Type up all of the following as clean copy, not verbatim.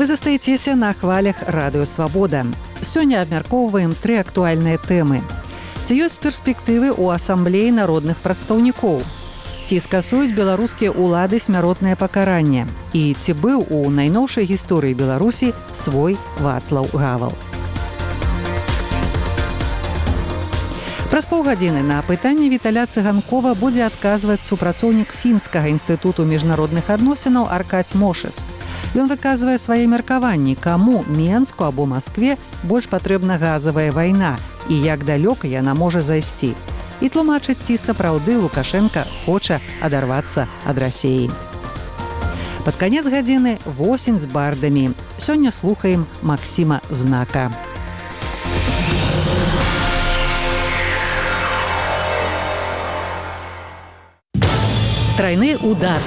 Вы застаецеся на хвалях Радыё Свабода. Сёння абмяркоўваем 3 актуальныя тэмы. Ці ёсць перспектывы ў асамблеі народных прадстаўнікоў? Ці скасуюць беларускія ўлады смяротнае пакаранне? І ці быў у найноўшай гісторыі Беларусі свой Вацлаў Гавал? Праз паўгадзіны на пытанне Віталя Цыганкова будзе адказваць супрацоўнік Фінскага інстытуту міжнародных адносінаў Аркадзь Мошыс. Ён выказвае свае меркаванні, каму Менску або Маскве больш патрэбна газавая вайна і як далёка яна можа зайсці. І тлумачыць, ці сапраўды Лукашенка хоча адарвацца ад Расіі. Пад канец гадзіны восень з бардамі. Сёння слухаем Максіма Знака. Трайны удар.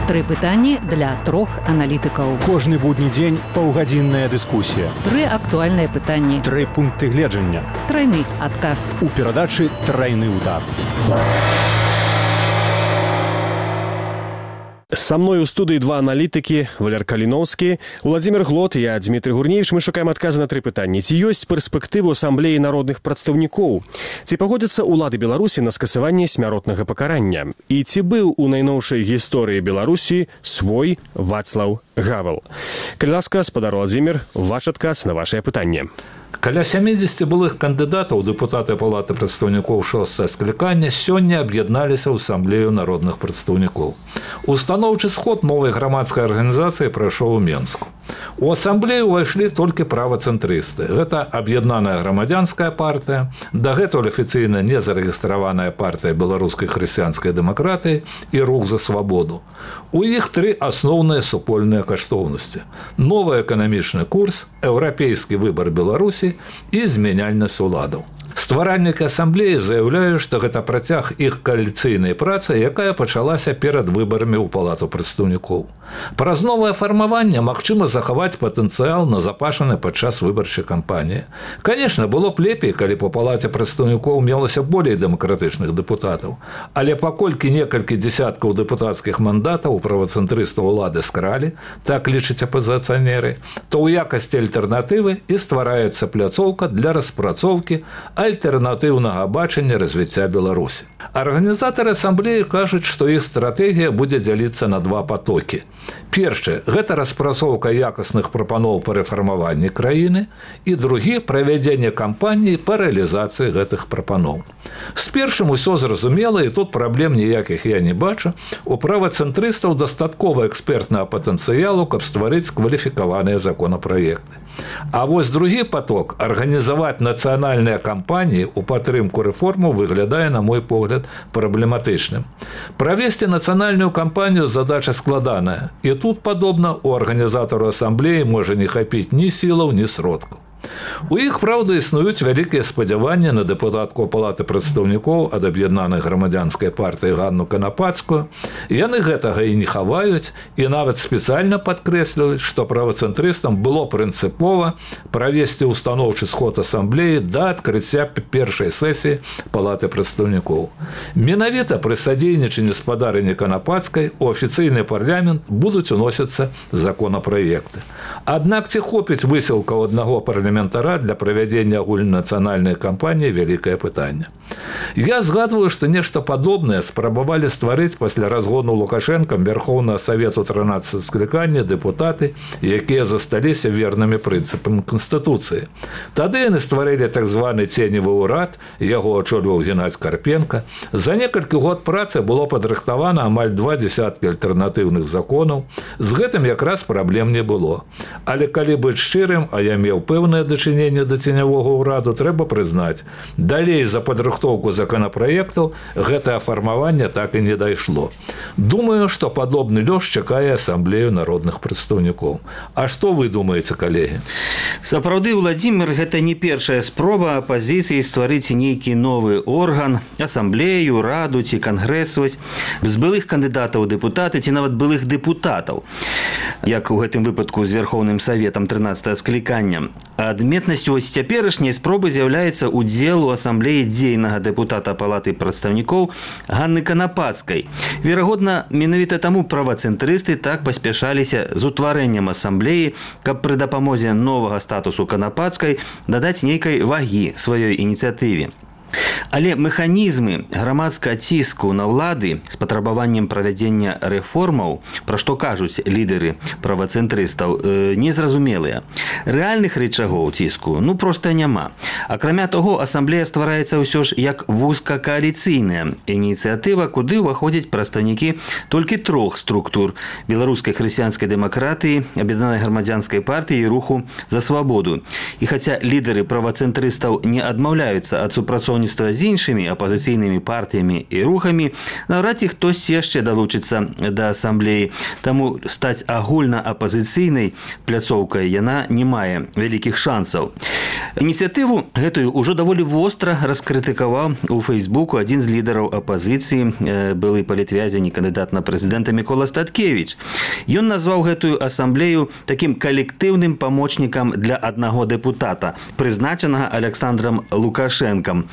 3 пытанні для 3 аналітыкаў. Кожны будні дзень паўгадзінная дыскусія. 3 актуальныя пытанні. 3 пункты гледжання. Трайны адказ. У перадачы «Трайны удар». Со мной у студыі 2 аналітыкі, Валер Каліноўскі, Владзімир Глот і я, Дмітрий Гурневіч. Мы шукаем адказы на 3 пытанні. Ці ёсць перспектывы асамблеі народных прадстаўнікоў? Ці пагодзяцца ўлады Беларусі на скасаванне смяротнага пакарання? І ці быў у найноўшай гісторыі Беларусі свой Вацлаў Гавал? Калі ласка, спадар Владзімир, ваш адказ на вашае пытанне. Каля 70 былых кандыдатаў дэпутаты Палаты прадстаўнікоў 6-е склікання сёння аб'ядналіся ў асамблею народных прадстаўнікоў. Устаноўчы сход новай грамадскай арганізацыі прайшоў у Менску. У асамблею ўвайшлі толькі правацэнтрысты. Гэта аб'яднаная грамадзянская партыя, дагэтуль афіцыйна не зарэгістраваная партыя беларускай хрысціянскай дэмакратыі і рух за свабоду. У іх 3 асноўныя супольныя каштоўнасці: новы эканамічны курс, еўрапейскі выбар Беларусі і змяняльнасць уладаў. Стваральнікі асамблеі заяўляюць, што гэта працяг іх кааліцыйнай працы, якая пачалася перад выбарамі ў Палату прадстаўнікоў. Праз новае фармаванне магчыма захаваць патэнцыял назапашаны падчас выбарчай кампаніі. Канешне, было б лепей, калі па Палаце прадстаўнікоў мелася болей дэмакратычных дэпутатаў, але паколькі некалькі дзесяткаў дэпутацкіх мандатаў у правацэнтрыстаў улады скралі, так лічаць апазіцыянеры, то ў якасці альтэрнатывы і ствараецца пляцоўка для распрацоўкі альтэрнатыўнага бачання развіцця Беларусі. Арганізатары асамблеі кажуць, што іх стратэгія будзе дзяліцца на 2 потокі. Першы – гэта распрацоўка якасных прапаноў па рэфармаванні краіны, і другі – правядзенне кампаніі па рэалізацыі гэтых прапаноў. З першым усё зразумела, і тут праблем ніякіх я не бачу. У правацэнтрыстаў дастаткова экспертнага патэнцыялу, каб стварыць кваліфікаваныя законапраекты. А вось другі поток – арганізаваць нацыянальныя кампаніі ў падтрымку рэформаў выглядае, на мой погляд, праблематычным. Правесці нацыянальную кампанію задача складаная, і тут, падобна, у арганізатару асамблеі можа не хапіць ні сілаў, ні сродкаў. У іх, праўда, існуюць вялікія спадзяванні на дэпутатку Палаты прадстаўнікоў ад аб'яднанай грамадзянскай партыі Ганну Канапацкую. Яны гэтага і не хаваюць, і нават спецыяльна падкрэсліваюць, што правацэнтрыстам было прынцыпова правесці устаноўчы сход асамблеі да адкрыцця першай сесіі Палаты прадстаўнікоў. Менавіта пры садзейнічанні спадарыні Канапацкай у афіцыйны парламент будуць уносіцца законапраекты. Аднак ці хопіць высілкаў аднаго парламентара для правядзення агульнанацыянальнай кампаніі – вялікае пытанне. Я згадваю, што нешта падобнае спрабавалі стварыць пасля разгону Лукашэнкам Верхоўнага Савету 13 склікання дэпутаты, якія засталіся вернымі прынцыпам Канстытуцыі. Тады яны стварылі так званы ценевы ўрад, яго ачольваў Геннадзь Карпенка. За некалькі год працы было падрыхтавана амаль 2 дзесяткі альтэрнатыўных законаў. З гэтым якраз праблем не было. Але калі быць шчырым, а я меў пэўнае дачыненне да ценявога ўраду, трэба прызнаць, далей за падрыхтоўку законапраектаў гэтае фармаванне так і не дайшло. Думаю, што падобны лёс чакае асамблею народных прадстаўнікоў. А што вы думаеце, калегі? Сапраўды, Владзімир, гэта не першая спроба апазіцыі стварыць нейкі новы орган, асамблею, раду ці кангрэсаваць з былых кандыдатаў у дэпутаты ці нават былых дэпутатаў. як у гэтым выпадку з Верховным Саветам 13 склікання. Адметнасцю вось цяперашняй спробы з'яўляецца удзел у асамблеі дзейнага дэпутата Палаты прадстаўнікоў Ганны Канапацкай. Верагодна, менавіта таму правацэнтрысты так паспяшаліся з утварэннем асамблеі, каб пры дапамозе новага статусу Канапацкай дадаць нейкай вагі сваёй ініцыятыве. Але механізмы грамадскага ціску на ўлады з патрабаваннем правядзення рэформаў, пра што кажуць лідары правацэнтрыстаў, незразумелыя. Рэальных рычагоў ціску проста няма. Акрамя таго, асамблея ствараецца ўсё ж як вузкакааліцыйная ініцыятыва, куды ўваходзяць прадстаўнікі толькі 3 структур: беларускай хрысціянскай дэмакратыі, аб'яднанай грамадзянскай партыі і руху за свабоду. І хаця лідары правацэнтрыстаў не адмаўляюцца ад супрацоўніцтва з іншымі апазіцыйнымі партыямі і рухамі, наўрад ці хтосьці яшчэ далучыцца да асамблеі. Таму стаць агульнаапазіцыйнай пляцоўкай яна не мае вялікіх шансаў. Ініцыятыву гэтую ўжо даволі востра раскрытыкаваў у Фейсбуку адзін з лідараў апазіцыі, былы палітвязень і кандыдат на прэзідэнта Мікола Статкевіч. Ён назваў гэтую асамблею такім калектыўным памочнікам для аднаго дэпутата, прызначанага Александрам Лукашэнкам,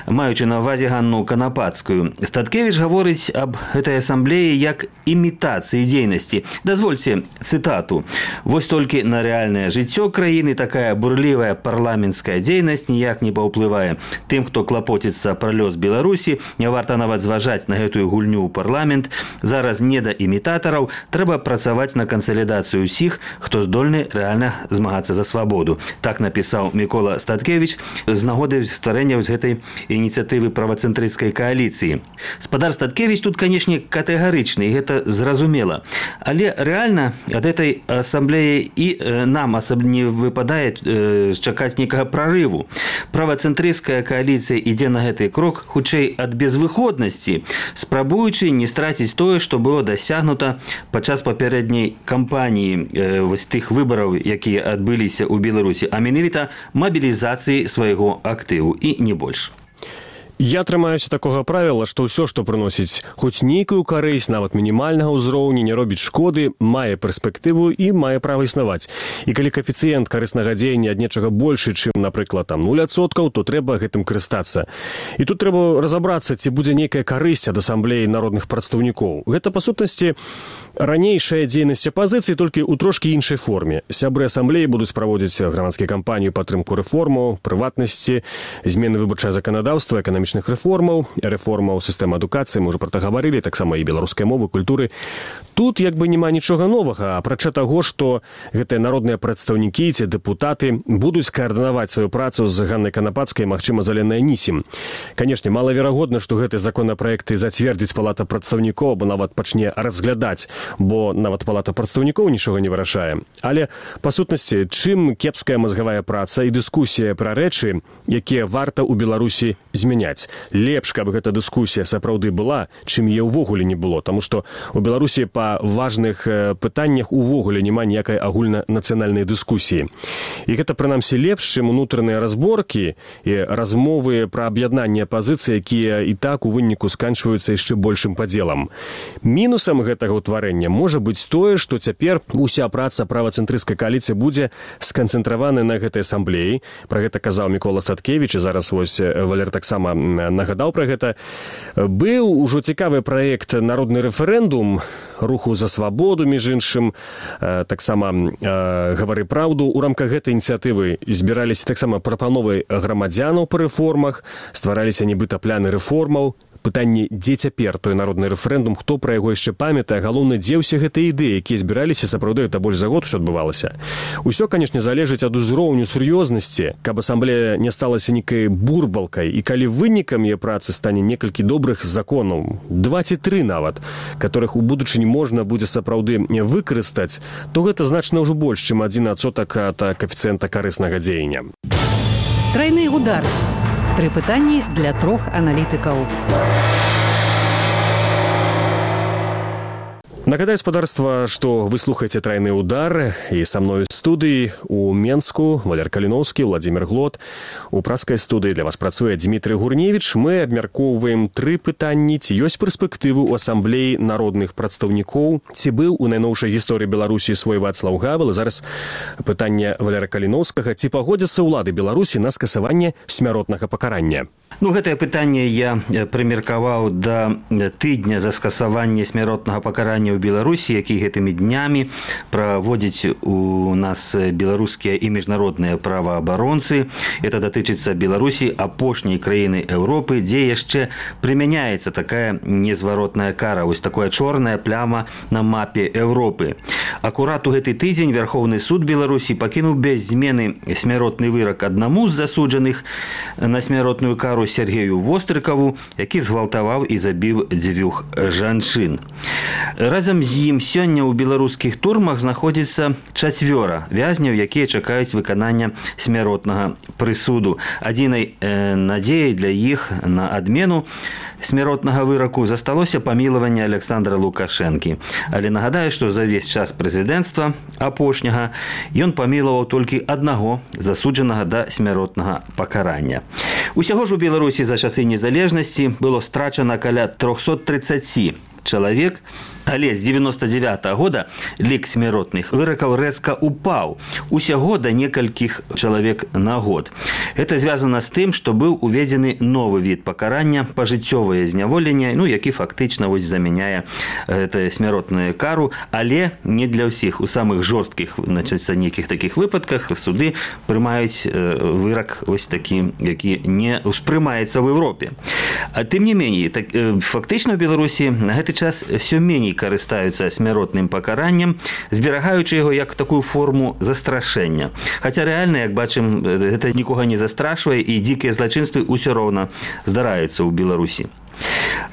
маючы на ўвазе Ганну Канапацкую. Статкевіч гаворыць аб гэтай асамблеі як імітацыі дзейнасці. Дазвольце цытату: «Вось толькі на рэальнае жыццё краіны такая бурлівая парламенцкая дзейнасць ніяк не паўплывае. Тым, хто клапоціцца пра лёс Беларусі, не варта нават зважаць на гэтую гульню ў парламент. Зараз не да імітатараў, трэба працаваць на кансалідацыю ўсіх, хто здольны рэальна змагацца за свабоду». Так напісаў Мікола Статкевіч з нагоды стварэння з гэтай ініцыятывы правацэнтрысцкай кааліцыі. Спадар Статкевіч тут, канешне, катэгарычны, і гэта зразумела. Але рэальна ад гэтай асамблеі і нам не выпадае чакаць нейкага прарыву. Правацэнтрысцкая кааліцыя ідзе на гэты крок хутчэй ад безвыходнасці, спрабуючы не страціць тое, што было дасягнута падчас папярэдняй кампаніі вось тых выбараў, якія адбыліся ў Беларусі, а менавіта мабілізацыі свайго актыву і не больш. Я трымаюся такога правіла, што ўсё, што прыносіць хоць нейкую карысць, нават мінімальнага ўзроўню, не робіць шкоды, мае перспектыву і мае права існаваць. І калі каэфіцыент карыснага дзеяння ад нечага большы, чым, напрыклад, 0%, то трэба гэтым карыстацца. І тут трэба разабрацца, ці будзе нейкая карысць ад асамблеі народных прадстаўнікоў. Гэта, па сутнасці, ранейшая дзейнасць апазіцыі, толькі ў трошкі іншай форме. Сябры асамблеі будуць праводзіць грамадскія кампанію падтрымку рэформаў, прыватнасці, змены выбарчае заканадаўства, эканамічных рэформаў, рэформаў сістэмы адукацыі, мы ўжо пра гэта гаварылі, таксама і беларускай мовы, культуры. Тут як бы няма нічога новага, апрача таго, што гэтыя народныя прадстаўнікі ці дэпутаты будуць каардынаваць сваю працу з Ганнай Канапацкай, магчыма, з Аленай Анісім. Канешне, малаверагодна, што гэты законапраект зацвердзіць Палата прадстаўнікоў, або нават пачне разглядаць, бо нават Палата прадстаўнікоў нічога не вырашае. Але, па сутнасці, чым кепская мазгавая праца і дыскусія пра рэчы, якія варта ў Беларусі змяняць. Лепш, каб гэта дыскусія сапраўды была, чым яе ўвогуле не было, таму што ў Беларусі па важных пытаннях увогуле няма ніякай агульнанацыянальнай дыскусіі. І гэта, прынамсі, лепш, чым унутраныя разборкі і размовы пра аб'яднанне апазіцыі, якія і так у выніку сканчваюцца яшчэ большым падзелам. Мінусам гэтага ўтварэння можа быць тое, што цяпер уся праца правацэнтрысцкай кааліцыі будзе сканцэнтравана на гэтай асамблеі. Пра гэта казаў Мікола Статкевіч, і зараз вось Валер таксама нагадаў пра гэта. Быў ужо цікавы праект «Народны рэферэндум» руху за свабоду, між іншым, таксама «Гавары праўду». У рамках гэтай ініцыятывы збіраліся таксама прапановы грамадзянаў па рэформах, ствараліся нібыта пляны рэформаў. Пытанне, дзе цяпер той народны рэферэндум, хто пра яго яшчэ памятае, галоўна, дзе ўсе гэтыя ідэі, якія збіраліся, сапраўды, это больш за год усё адбывалася. Усё, канешне, залежыць ад узроўню сур'ёзнасці, каб асамблея не сталася нейкай бурбалкай, і калі вынікам яе працы стане некалькі добрых законаў, 2 ці 3 нават, которых у будучыні можна будзе сапраўды выкарыстаць, то гэта значна ўжо больш, чым 1% ад каэфіцыента карыснага дзеяння. Трайны удар. 3 пытанні для 3 аналітыкаў. Нагадаю, спадарства, што вы слухаеце «Трайны удар», і са мною Студыі у Менску Валер Каліноўскі, Владзімір Глот. У праскай студыі для вас працуе Дмітрый Гурневіч. Мы абмяркоўваем 3 пытанні. Ці ёсць перспектывы ў асамблеі народных прадстаўнікоў? Ці быў у найноўшай гісторыі Беларусі свой Вацлаў Гавел? Зараз пытанне Валера Каліноўскага. Ці пагодзяцца ўлады Беларусі на скасаванне смяротнага пакарання? Гэтае пытанне я прымеркаваў да тыдня за скасаванне смяротнага пакарання ў Беларусі, які гэтымі днямі праводзіць у нас беларускія і міжнародныя праваабаронцы. Это датычыцца Беларусі, апошняй краіны Еўропы, дзе яшчэ прымяняецца такая незваротная кара, вось такая чорная пляма на мапе Еўропы. Акурат у гэты тыдзень Верховны суд Беларусі пакінуў без змены смяротны вырак аднаму з засуджаных на смяротную кару Сергею Вострыкаву, які згвалтаваў і забіў 2 жанчын. Разам з ім сёння ў беларускіх турмах знаходзіцца 4 вязняў, якія чакаюць выканання смяротнага прысуду. Адзінай надзеяй для іх на адмену смяротнага выраку засталося памілаванне Александра Лукашэнкі. Але нагадаю, што за ўвесь час прэзідэнцтва апошняга ён памілаваў толькі аднаго засуджанага да смяротнага пакарання. Усяго ж у Беларусі за часы незалежнасці было страчана каля 330 чалавек, але з 99-го года лік смяротных выракаў рэзка упаў. Усяго да некалькіх чалавек на год. Это звязана з тым, што быў уведзены новы від пакарання, пажыццёвае зняволенне, які фактычна замяняе гэтую смяротную кару, але не для ўсіх. У самых жорсткіх, нейкіх такіх выпадках суды прымаюць вырак вось такі, які не успрымаецца ў Еўропе. А тым не меней, фактычна ў Беларусі на гэты час все меней карыстаюцца смяротным пакараннем, зберагаючы яго як такую форму застрашэння. Хаця рэальна, як бачым, гэта нікога не застрашвае, і дзікія злачынствы ўсё роўна здараюцца ў Беларусі.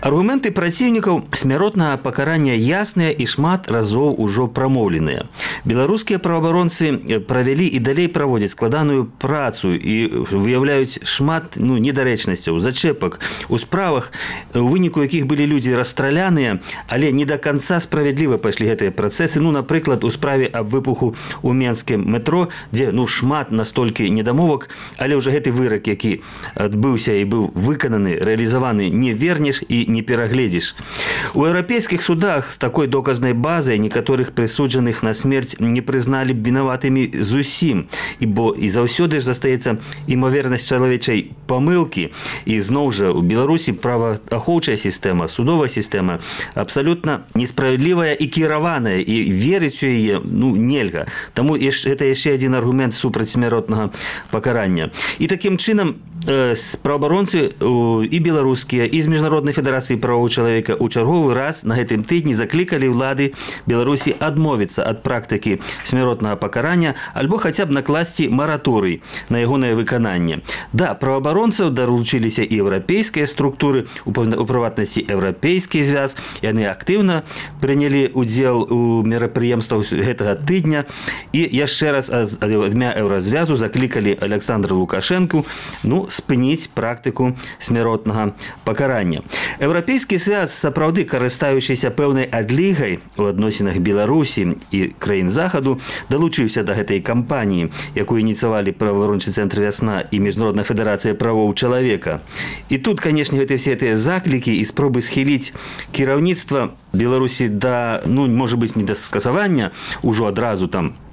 Аргументы праціўнікаў смяротнага пакарання ясныя і шмат разоў ужо прамоўленыя. Беларускія праваабаронцы правялі і далей праводзяць складаную працу і выяўляюць шмат недарэчнасцяў, зачэпак у справах, у выніку якіх былі людзі расстраляныя, але не да канца справядліва пайшлі гэтыя працэсы. Напрыклад, у справе аб выпуху ў менскім метро, дзе шмат настолькі недамовак, але ўжо гэты вырак, які адбыўся і быў выкананы, рэалізаваны, не вернеш і не перагледзіш. У еўрапейскіх судах з такой доказнай базай некаторых прысуджаных на смерць не прызналі б вінаватымі зусім, бо і заўсёды ж застаецца імавернасць чалавечай памылкі. І зноў жа у Беларусі праваахоўчая сістэма, судовая сістэма абсалютна несправядлівая і кіраваная, і верыць у яе нельга. Таму гэта яшчэ адзін аргумент супраць смяротнага пакарання. І такім чынам праваабаронцы і беларускія, і з Міжнароднай федэрацыі правоў чалавека ў чарговы раз на гэтым тыдні заклікалі ўлады Беларусі адмовіцца ад практыкі смяротнага пакарання альбо хаця б накласці мараторый на ягонае выкананне. Да, праваабаронцаў даручыліся і еўрапейскія структуры, у прыватнасці еўрапейскі звяз. Яны актыўна прынялі удзел у мерапрыемствах гэтага тыдня і яшчэ раз ад імя еўразвязу заклікалі Александра Лукашэнку спыніць практыку смяротнага пакарання. Еўрапейскі свят, сапраўды карыстаючыся пэўнай адлігай у адносінах Беларусі і краін захаду, далучыўся да гэтай кампаніі, якую ініцыявалі праваабарончы цэнтр «Вясна» і Міжнародная федэрацыя правоў чалавека. І тут, канешне, все гэтыя заклікі і спробы схіліць кіраўніцтва Беларусі да, можа быць, не да скасавання ўжо адразу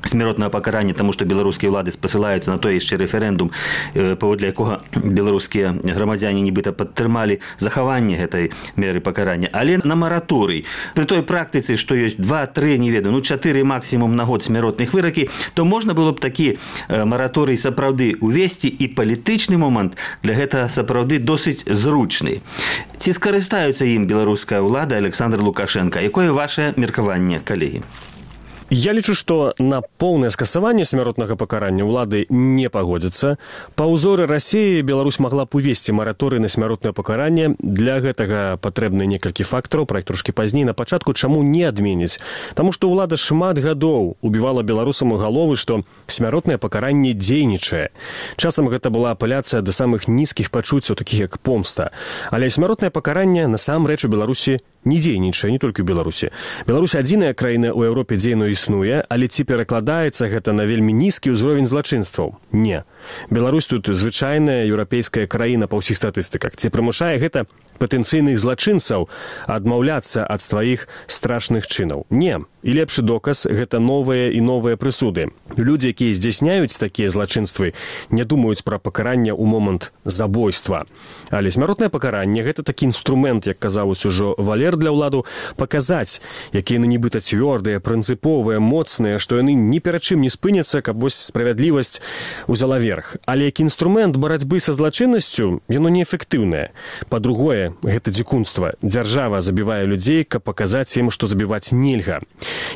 смяротнага пакарання, таму што беларускія ўлады спасылаюцца на той яшчэ рэферэндум, паводле якога беларускія грамадзяне нібыта падтрымалі захаванне гэтай меры пакарання, але на мараторый. Пры той практыцы, што ёсць 2-3, не ведаю, 4 максімум на год смяротных выракі, то можна было б такі мараторый сапраўды увесці, і палітычны момант для гэтага сапраўды досыць зручны. Ці скарыстаюцца ім беларуская ўлада, Александр Лукашенко? Якое ваше меркаванне, калегі? Я лічу, што на поўнае скасаванне смяротнага пакарання ўлады не пагодзяцца. Па ўзоры Расіі Беларусь магла б увесці мараторый на смяротнае пакаранне. Для гэтага патрэбны некалькі фактараў, пра іх трошкі пазней. На пачатку чаму не адменіць? Таму што ўлада шмат гадоў убівала беларусам у галовы, што смяротнае пакаранне дзейнічае. Часам гэта была апеляцыя да самых нізкіх пачуццяў, такіх як помста. Але смяротнае пакаранне насамрэч у Беларусі не дзейнічае не толькі ў Беларусі. Беларусь адзіная краіна ў Еўропе, дзе яно існуе, але ці перакладаецца гэта на вельмі нізкі ўзровень злачынстваў? Не. Беларусь тут звычайная еўрапейская краіна па ўсіх статыстыках. Ці прымушае гэта патэнцыйных злачынцаў адмаўляцца ад сваіх страшных чынаў? Не. І лепшы доказ – гэта новыя і новыя прысуды. Людзі, якія здзяйсняюць такія злачынствы, не думаюць пра пакаранне ў момант забойства. Але смяротнае пакаранне – гэта такі інструмент, як казаў ужо Валер, для ўладу паказаць, якія яны нібыта цвёрдыя, прынцыповыя, моцныя, што яны ні перад чым не спыняцца, каб вось справядлівасць узяла верх. Але як інструмент барацьбы са злачыннасцю, яно неэфектыўнае. Па-другое, гэта дзікунства. Дзяржава забівае людзей, каб паказаць ім, што забіваць нельга.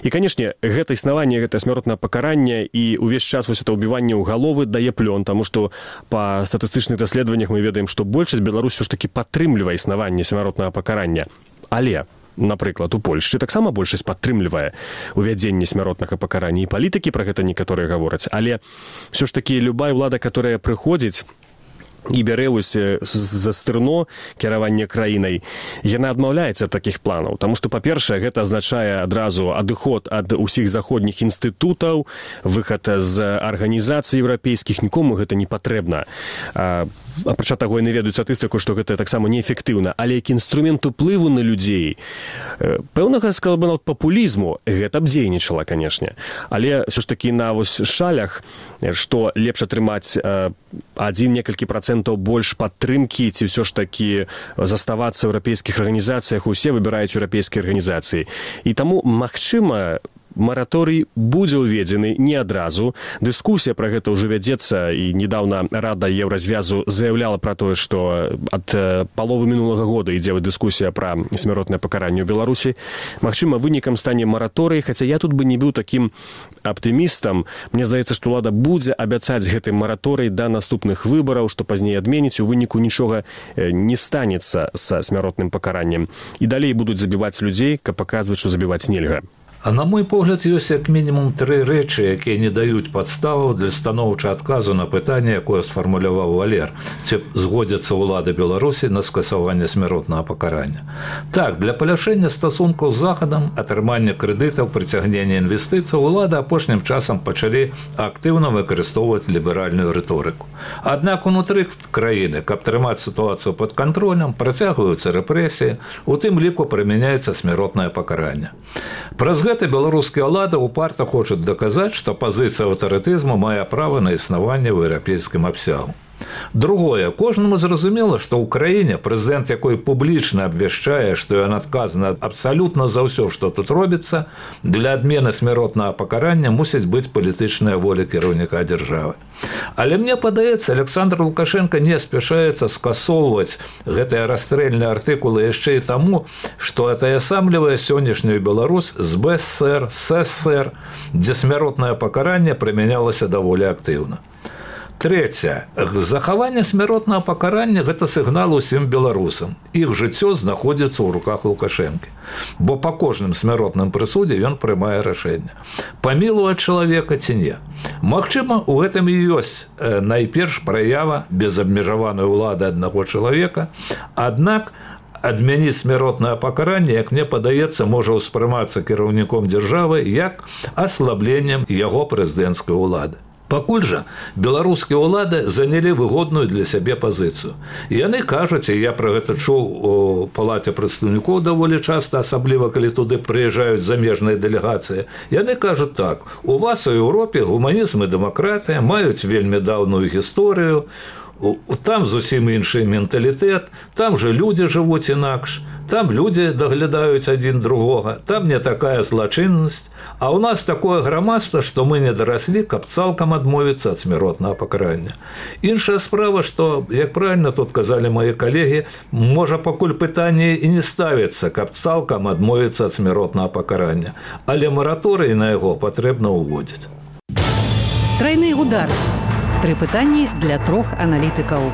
І, канешне, гэта існаванне, гэта смяротнае пакаранне і ўвесь час вось это ўбіванне ў галовы дае плён, таму што па статыстычных даследаваннях мы ведаем, што большасць Беларусі ж такі падтрымлівае існаванне смяротнага пакарання. Але, напрыклад, у Польшчы таксама большасць падтрымлівае увядзенне смяротнага пакарання. І палітыкі пра гэта некаторыя гавораць. Але ўсё ж такі любая ўлада, которая прыходзіць і бярэ за стырно кіраванне краінай, яна адмаўляецца ад такіх планаў. Таму што, па-першае, гэта азначае адразу адыход ад усіх заходніх інстытутаў, выхад з арганізацый еўрапейскіх, нікому гэта не патрэбна. Апрача таго, яны ведаюць статыстыку, што гэта таксама неэфектыўна. Але як інструмент уплыву на людзей, пэўнага, сказал бы, нават папулізму, гэта б дзейнічала, канешне. Але ўсё ж такі на вось шалях, што лепш атрымаць некалькі процентаў больш падтрымкі, ці ўсё ж такі заставацца ў еўрапейскіх арганізацыях, усе выбіраюць еўрапейскія арганізацыі. І таму, магчыма, мараторый будзе ўведзены не адразу. Дыскусія пра гэта ўжо вядзецца, і недавно Рада Еўразвязу заяўляла пра тое, што ад паловы мінулага года ідзе дыскусія пра смяротнае пакаранне ў Беларусі. Магчыма, вынікам стане мараторый, хаця я тут бы не быў такім аптымістам. Мне здаецца, што ўлада будзе абяцаць гэты мараторый да наступных выбараў, што пазней адменіць, у выніку нічога не станецца са смяротным пакараннем. І далей будуць забіваць людзей, каб паказваць, што забіваць нельга. А на мой погляд, ёсць як мінімум 3 рэчы, якія не даюць падставаў для станоўчага адказу на пытанне, якое сфармуляваў Валер, ці згодзяцца ўлады Беларусі на скасаванне смяротнага пакарання. Так, для паляшэння стасункаў з Захадам, атрымання крэдытаў, прыцягнення інвестыцый улады апошнім часам пачалі актыўна выкарыстоўваць ліберальную рыторыку. Аднак унутры краіны, каб трымаць сітуацыю пад кантролем, працягваюцца рэпрэсіі, у тым ліку прымяняецца смяротнае пакаранне. Праз гэта беларускія ўлады упарта хочуць даказаць, што пазіцыя аўтарытызму мае права на існаванне ў еўрапейскім абсягу. Другое, кожнаму зразумела, што ў краіне прэзідэнт, якой публічна абвяшчае, што ён адказны абсалютна за ўсё, што тут робіцца, для адмены смяротнага пакарання мусіць быць палітычная воля кіраўніка дзяржавы. Але мне падаецца, Александр Лукашенко не спяшаецца скасоўваць гэтыя расстрэльныя артыкулы яшчэ і таму, што атаясамлівае сённяшнюю Беларусь з БСР, ССР, дзе смяротнае пакаранне прымянялася даволі актыўна. Трэцяе. Захаванне смяротнага пакарання – гэта сігнал усім беларусам. Іх жыццё знаходзіцца ў руках Лукашэнкі. Бо па кожным смяротным прысудзе ён прымае рашэнне. Памілаваць чалавека ці не. Магчыма, у гэтым і ёсць найперш праява безабмежаванай улады аднаго чалавека, аднак адмяніць смяротнае пакаранне, як мне падаецца, можа ўспрымацца кіраўніком дзяржавы як аслабленнем яго прэзідэнцкай улады. Пакуль жа беларускія ўлады занялі выгодную для сябе пазіцыю. Яны кажуць, і я пра гэта чуў у палаце прадстаўнікоў даволі часта, асабліва калі туды прыязджаюць замежныя дэлегацыі, яны кажуць так: у вас у Еўропе гуманізм і дэмакратыя маюць вельмі даўную гісторыю, там зусім іншы менталітэт, там жа людзі жывуць інакш, там людзі даглядаюць адзін другога, там не такая злачыннасць, а ў нас такое грамадства, што мы не дараслі, каб цалкам адмовіцца ад смяротнага пакарання. Іншая справа, што, як правільна тут казалі мае калегі, можа пакуль пытанне і не ставіцца, каб цалкам адмовіцца ад смяротнага пакарання, але мараторый на яго патрэбна ўводзіць. Трайны удар. 3 пытанні для 3 аналітыкаў.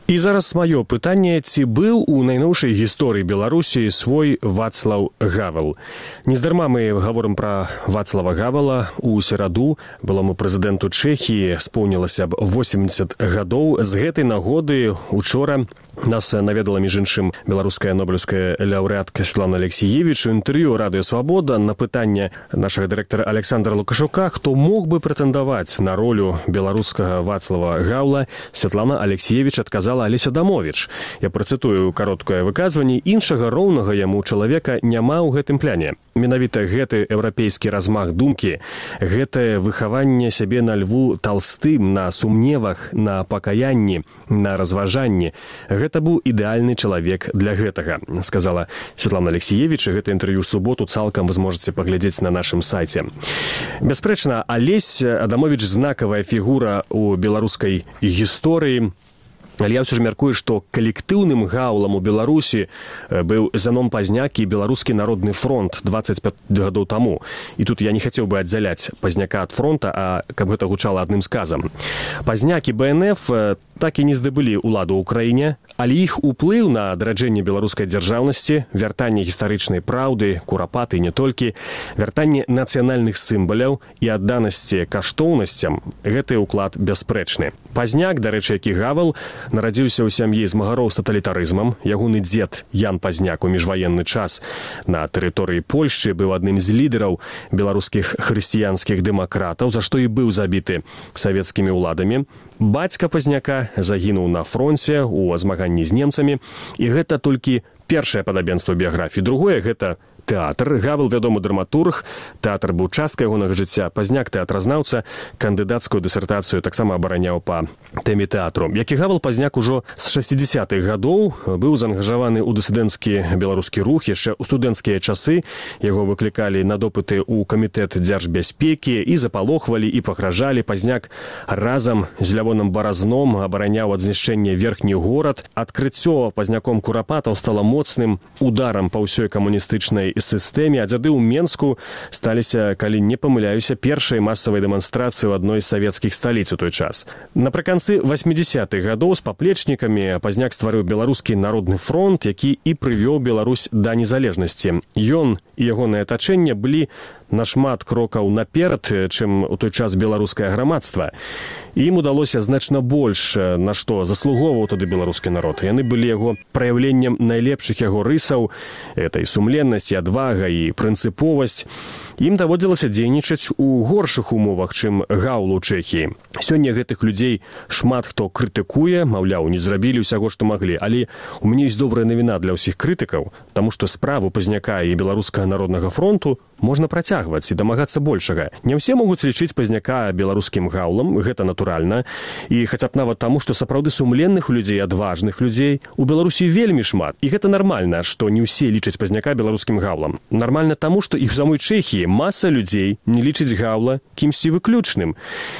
І зараз маё пытанне, ці быў у найноўшай гісторыі Беларусі свой Вацлаў Гавел. Нездарма мы гаворым пра Вацлава Гавела. У сераду былому прэзідэнту Чэхіі споўнілася б 80 гадоў. З гэтай нагоды учора нас наведала, між іншым, беларуская нобелеўская лаўрэатка Светлана Алексіевіч. У інтэрв'ю «Радыё Свабода» на пытанне нашага дырэктара Александра Лукашука, хто мог бы прэтэндаваць на ролю беларускага Вацлава Гавела, Светлана Алексіевіч адказала Алеся Адамовіч. Я працытую кароткае выказванне. Іншага роўнага яму чалавека няма ў гэтым пляне. Менавіта гэты еўрапейскі размах думкі, гэтае выхаванне сябе на Льву Талстым, на сумневах, на пакаянні, на разважанні. Гэта быў ідэальны чалавек для гэтага, сказала Светлана Алексіевіч. Гэта інтэрв'ю ў суботу цалкам вы зможаце паглядзець на нашым сайце. Бясспрэчна, Алесь Адамовіч знакавая фігура ў беларускай гісторыі. Але я ўсё ж мяркую, што калектыўным гаўлам у Беларусі быў Зяном Пазняк і Беларускі народны фронт 25 гадоў таму. І тут я не хацеў бы аддзяляць Пазняка ад фронта, а каб гэта гучала адным сказам. Пазняк і БНФ так і не здабылі ўладу ў краіне, але іх уплыў на адраджэнне беларускай дзяржаўнасці, вяртанне гістарычнай праўды, курапаты не толькі, вяртанне нацыянальных сімваляў і адданасці каштоўнасцям, гэты ўклад бясспрэчны. Пазняк, дарэчы, які Гавел, нарадзіўся ў сям'і змагароў з таталітарызмам. Ягоны дзед Ян Пазняк у міжваенны час на тэрыторыі Польшчы быў адным з лідараў беларускіх хрысціянскіх дэмакратаў, за што і быў забіты савецкімі ўладамі. Бацька Пазняка загінуў на фронце ў змаганні з немцамі. І гэта толькі першае падабенства біяграфіі. Другое – гэта тэатр. Гавел вядомы драматург, тэатр быў часткай ягонага жыцця. Пазняк тэатразнаўца, кандыдацкую дысертацыю таксама абараняў па тэме тэатру. Як і Гавел, Пазняк ужо з 60-х гадоў быў заангажаваны ў дысідэнцкі беларускі рух. Яшчэ ў студэнцкія часы яго выклікалі на допыты ў камітэт дзяржбяспекі і запалохвалі, і пагражалі. Пазняк разам з Лявоном Баразном абараняў ад знішчэння верхні горад. Адкрыццё Пазняком курапатаў стала моцным ударам па ўсёй камуністычнай сістэме, а дзяды ў Менску сталіся, калі не памыляюся, першай масавай дэманстрацыі ў адной з савецкіх сталіц у той час. Напрыканцы 80-х гадоў з паплечнікамі Пазняк стварыў Беларускі народны фронт, які і прывёў Беларусь да незалежнасці. Ён і ягонае атачэнне былі нашмат крокаў наперад, чым у той час беларускае грамадства. Ім удалося значна больш, на што заслугоўваў тады беларускі народ. Яны былі яго праяўленнем найлепшых яго рысаў, этой сумленнасць, адвага і прынцыповасць. Ім даводзілася дзейнічаць у горшых умовах, чым Гаўлу ў Чэхіі. Сёння гэтых людзей шмат хто крытыкуе, маўляў, не зрабілі ўсяго, што маглі. Але у мяне ёсць добрая навіна для ўсіх крытыкаў, таму што справу Пазняка і Беларускага народнага фронту можна працягваць і дамагацца большага. Не ўсе могуць лічыць Пазняка беларускім Гаўлам, гэта натуральна. І хаця б нават таму, што сапраўды сумленных людзей, адважных людзей у Беларусі вельмі шмат. І гэта нармальна, што не ўсе лічаць Пазняка беларускім Гаўлам. Нармальна таму, што і ў самой Чэхіі маса людзей не лічыць Гаўла кімсьці выключным,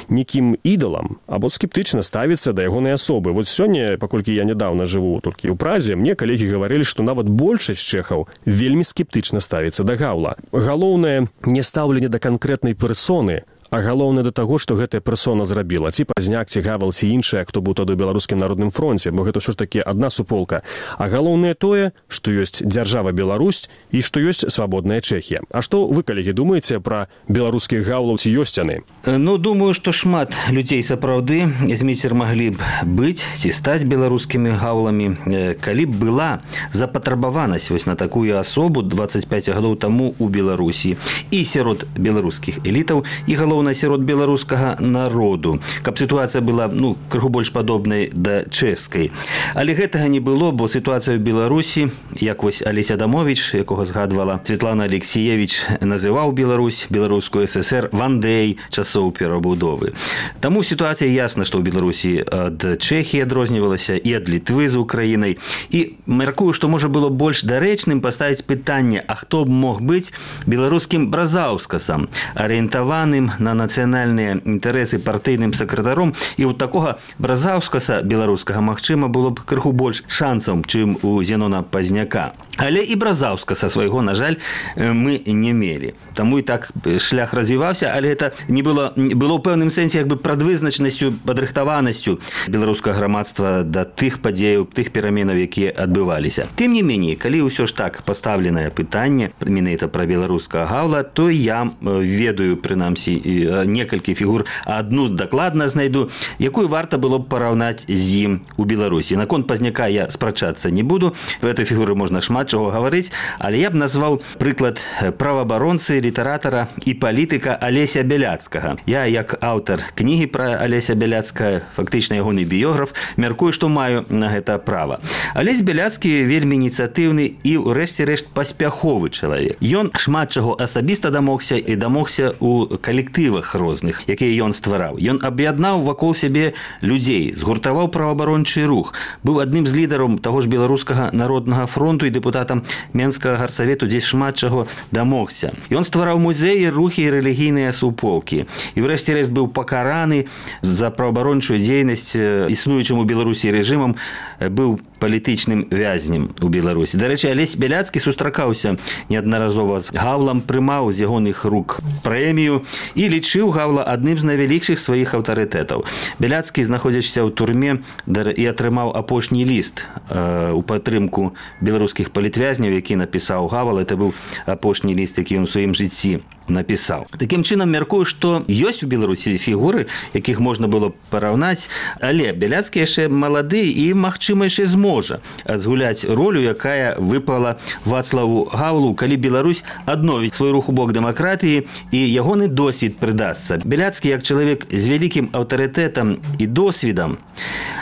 некім ідалам, або скептычна ставіцца да ягонай асобы. Вот сёння, паколькі я нядаўна жыву толькі ў Празе, мне калегі гаварылі, што нават большасць чэхаў вельмі скептычна ставіцца да Гаўла. Галоўнае не стаўленне да канкрэтнай персоны, а галоўнае да таго, што гэтая персона зрабіла. Ці Пазняк, ці Гавел, ці іншая, хто быў тады ў Беларускім народным фронце, бо гэта ўсё ж такі адна суполка. А галоўнае тое, што ёсць дзяржава Беларусь і што ёсць свабодная Чэхія. А што вы, калегі, думаеце пра беларускіх Гаўлаў, ці ёсць яны? Ну, думаю, што шмат людзей сапраўды зміцер маглі б быць ці стаць беларускімі Гаўламі, калі б была запатрабаванасць вось на такую асобу 25 гадоў таму ў Беларусі і сярод беларускіх элітаў, і галоўнае сярод беларускага народу, каб сітуацыя была крыху больш падобнай да чэшскай. Але гэтага не было, бо сітуацыя ў Беларусі, як вось Алесь Адамовіч, якога згадвала Светлана Алексіевіч, называў Беларусь, беларускую ССР вандэй часоў перабудовы. Таму сітуацыя ясна, што ў Беларусі ад Чэхіі адрознівалася і ад Літвы з Украінай. І мяркую, што можа было больш дарэчным паставіць пытанне, а хто б мог быць беларускім Бразаўскасам, арыентаваным на на нацыянальныя інтарэсы партыйным сакратаром, і ў такога бразаўскаса беларускага, магчыма, было б крыху больш шансаў, чым у Зенона Пазняка. Але і бразаўскаса свайго, на жаль, мы не мелі. Таму і так шлях развіваўся, але гэта не было ў пэўным сэнсе як бы прадвызначанасцю, падрыхтаванасцю беларускага грамадства да тых падзеяў, тых пераменаў, якія адбываліся. Тым не меней, калі ўсё ж так пастаўленае пытанне менавіта пра беларускага Гаўла, то я ведаю, прынамсі, некалькі фігур, а адну дакладна знайду, якую варта было б параўнаць з ім у Беларусі. Наконт Пазняка я спрачацца не буду, в этой фігуры можна шмат чаго гаварыць, але я б назваў прыклад праваабаронцы, літаратара і палітыка Алеся Бяляцкага. Я, як аўтар кнігі пра Алеся Бяляцкага, фактычна ягоны біёграф, мяркую, што маю на гэта права. Алесь Бяляцкі вельмі ініцыятыўны і, урэшце рэшт, паспяховы чалавек. Ён шмат чаго асабіста дамогся і дамогся ў калектывах розных, якія ён ствараў. Ён аб'яднаў вакол сябе людзей, згуртаваў праваабарончы рух, быў адным з лідараў таго ж беларускага народнага фронту і дэпутатам Менскага гарсавету, дзе шмат чаго дамогся. Ён ствараў музеі, рухі і рэлігійныя суполкі. І врэшце рэшт быў пакараны за праваабарончую дзейнасць існуючым у Беларусі рэжымам, быў палітычным вязнем у Беларусі. Дарэчы, Алесь Бяляцкі сустракаўся неаднаразова з Гаўлам, прымаў з ягоных рук прэмію і лічыў Гаўла адным з найвялікшых сваіх аўтарытэтаў. Бяляцкі, знаходзячыся ў турме, і атрымаў апошні ліст у падтрымку беларускіх палітвязняў, які напісаў Гавал. Это быў апошні ліст, які ён у сваім жыцці напісаў. Такім чынам, мяркую, што ёсць у Беларусі фігуры, якіх можна было параўнаць, але Бяляцкі яшчэ малады і, магчыма, яшчэ зможа згуляць ролю, якая выпала Вацлаву Гаўлу, калі Беларусь адновіць свой рух у бок дэмакратыі і ягоны досвід прыдасца. Бяляцкі, як чалавек з вялікім аўтарытэтам і досведам,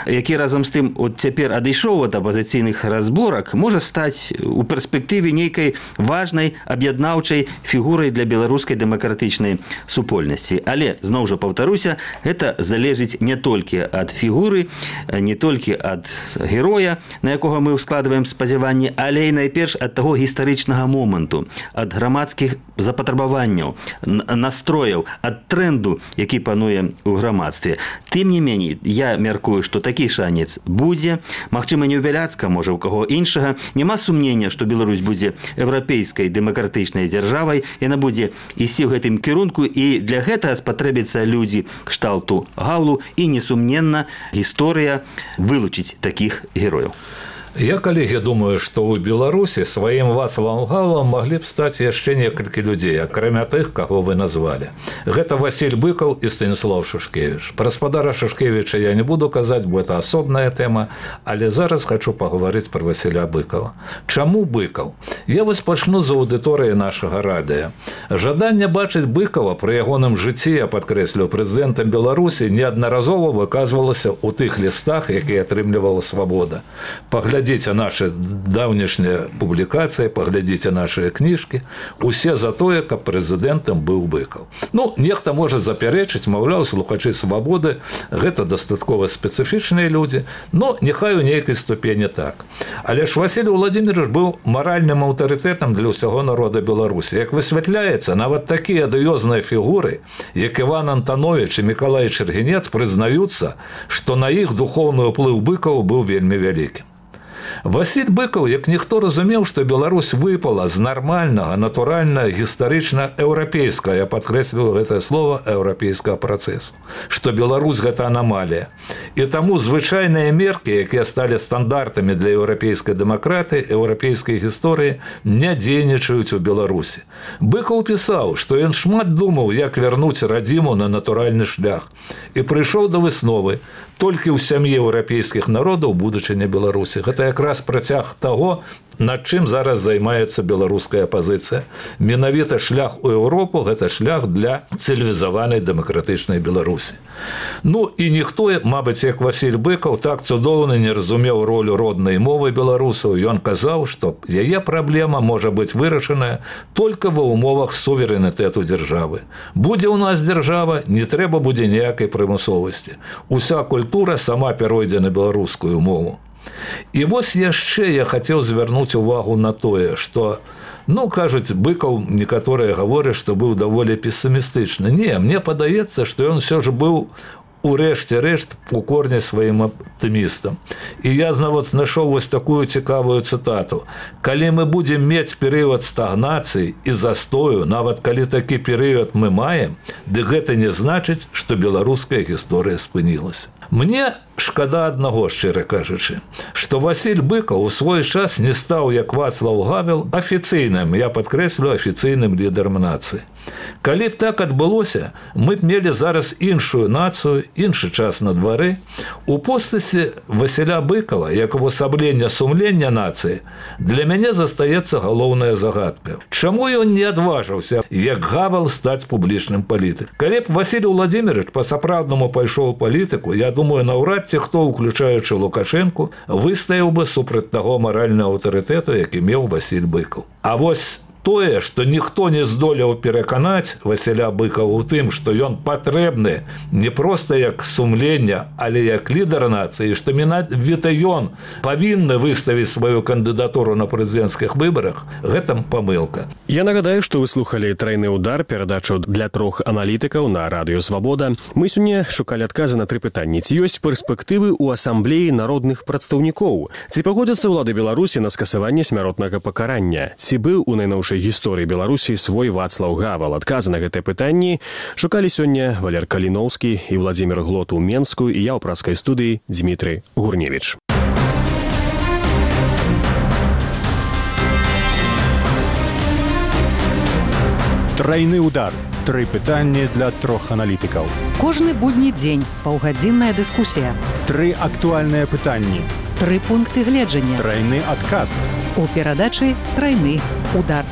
які разам з тым цяпер адышоў ад апазіцыйных разборак, можа стаць у перспектыве нейкай важнай аб'яднаўчай фігурай для беларускай дэмакратычнай супольнасці. Але, зноў жа паўтаруся, гэта залежыць не толькі ад фігуры, не толькі ад героя, на якога мы ўскладваем спадзяванні, але і найперш ад таго гістарычнага моманту, ад грамадскіх запатрабаванняў, настрояў, ад тренду, які пануе ў грамадстве. Тым не меней, я мяркую, што такі шанец будзе. Магчыма, не ў Бяляцка, можа, ў каго іншага. Няма сумнення, што Беларусь будзе еўрапейскай дэмакратычнай дзяржавай. Яна будзе ісці ў гэтым кірунку, і для гэтага спатрэбяцца людзі кшталту Гаўлу, і, несумненна, гісторыя вылучыць такіх герояў. Я, коллеги, думаю, что у Беларуси своим Вацлавам Гаўлам могли бы стать еще несколько людей, кроме тех, кого вы назвали. Это Василь Быков и Станислав Шушкевич. Про спадара Шушкевича я не буду казать, бо это особная тема, але зараз хочу поговорить про Василя Быкова. Чому Быков? Я вось пачну з аудиторії нашого радіо. Жадання бачить Быкова при ягоным житті, я підкреслю, президентом Беларусі неодноразово виказувалося у тих листах, які отримлювала «Свобода». Поглядите наши давнішние публикации, поглядите наши книжки. Усе за тое, каб президентом был Быков. Ну, нехта может заперечить, мовляв, слухачи «Свободы» – это дастаткова специфичные люди, но нехай у нейкай ступені так. Але ж Василий Владимирович был моральным авторитетом для всего народа Беларуси. Як высвятляется, нават такие адыёзныя фигуры, як Иван Антонович и Миколай Чергенец, признаются, что на их духовный уплыв Быкова был вельмі вялікім. Василь Быков, як ніхто разумеў, што Беларусь выпала з нармальнага, натуральна, гістарычна-еўрапейскага, я падкрэсліваю гэтае слово, еўрапейскага працэсу, што Беларусь гэта анамалія. І таму звычайныя меркі, якія сталі стандартамі для еўрапейскай дэмакратыі, еўрапейскай гісторыі, не дзейнічаюць у Беларусі. Быков пісаў, што ён шмат думаў, як вярнуць радзіму на натуральны шлях, і прыйшоў да высновы: толькі ў сям'і еўрапейскіх народаў будучыня Беларусі. Гэта якраз працяг таго, над чым зараз займаецца беларуская апазіцыя. Менавіта шлях у Еўропу – гэта шлях для цывілізаванай дэмакратычнай Беларусі. Ну і ніхто, мабыць, як Василь Быков, так цудоўна не разумеў ролю роднай мовы беларусаў. Ён казаў, што яе праблема можа быць вырашаная толькі ва ўмовах суверэнітэту дзяржавы. Будзе ў нас дзяржава, не трэба будзе ніякай прымусовасці. Уся культура сама перайдзе на беларускую мову. І вось яшчэ я хацеў звярнуць увагу на тое, што Ну, кажуць, Быкаў некаторыя гавораць, што быў даволі песімістычны. Не, мне падаецца, што ён все ж быў у рэшце рэшт у корне сваім аптымістам. І я нават знайшоў вось такую цікавую цытату. Калі мы будзем мець перыяд стагнацыі і застою, нават калі такі перыяд мы маем, дык гэта не значыць, што беларуская гісторыя спынілася. Мне шкада аднаго, шчыра кажучы, што Васіль Быкаў у свой час не стаў, як Вацлаў Гавел, афіцыйным, я падкрэслю, афіцыйным лідарам нацыі. Калі б так адбылося, мы б мелі зараз іншую нацыю, іншы час на двары. У постаці Васіля Быкава, як увасаблення сумлення нацыі, для мяне застаецца галоўная загадка. Чаму ён не адважыўся, як Гавел, стаць публічным палітыкам? Калі б Васіль Уладзімірович па-сапраўднаму пайшоў у палітыку, я думаю, наўрад ці хто, уключаючы Лукашэнку, выстаяў бы супраць таго маральнага аўтарытэту, які меў Васіль Быкаў. А вось тое, што ніхто не здолеў пераканаць Васіля Быкава ў тым, што ён патрэбны не проста як сумлення, але як лідар нацыі, што менавіта ён павінны выставіць сваю кандыдатуру на прэзідэнцкіх выбарах, гэта памылка. Я нагадаю, што вы слухалі «Трайны удар», перадачу для 3 аналітыкаў на радыё «Свабода». Мы сёння шукалі адказы на 3 пытанні. Ці ёсць перспектывы ў асамблеі народных прадстаўнікоў? Ці пагодзяцца ўлады Беларусі на скасаванне смяротнага пакарання? Ці быў у найноўшай гісторыі Беларусі свой Вацлаў Гавел? Адказы на гэтыя пытанні шукалі сёння Валер Каліноўскі і Владзімір Глот у Менску, і я ў праскай студыі Дзмітрый Гурневіч. Трайны удар. 3 пытанні для 3 аналітыкаў. Кожны будні дзень паўгадзінная дыскусія. 3 актуальныя пытанні. 3 пункты гледжання. Трайны адказ. У перадачы «Трайны удар».